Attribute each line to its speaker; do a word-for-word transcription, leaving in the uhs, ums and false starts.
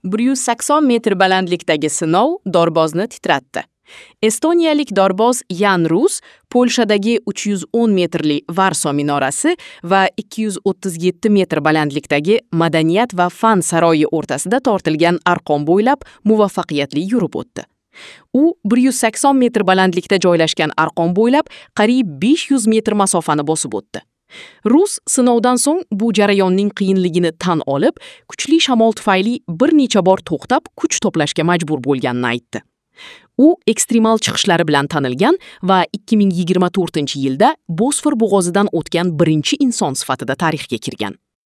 Speaker 1: bir yuz sakson metr balandlikdagi sinov dorbozni titratdi. Estoniyalik dorboz Yan Rus Polshadagi uch yuz o'n metrli Varso minorasi va ikki yuz o'ttiz yetti metr balandlikdagi Madaniyat va fan saroyi o'rtasida tortilgan arqon bo'ylab muvaffaqiyatli yurib o'tdi. U bir yuz sakson metr balandlikda joylashgan arqon bo'ylab qariyb besh yuz metr masofani bosib o'tdi. Rus sinovdan so'ng bu jarayonning qiyinligini tan olib, kuchli shamol tufayli bir necha bor to'xtab, kuch to'plashga majbur bo'lganini aytdi. U ekstremal chiqishlari bilan tanilgan va ikki ming yigirma to'rtinchi yilda Bosfor bo'g'ozidan o'tgan birinchi inson sifatida tarixga kirgan.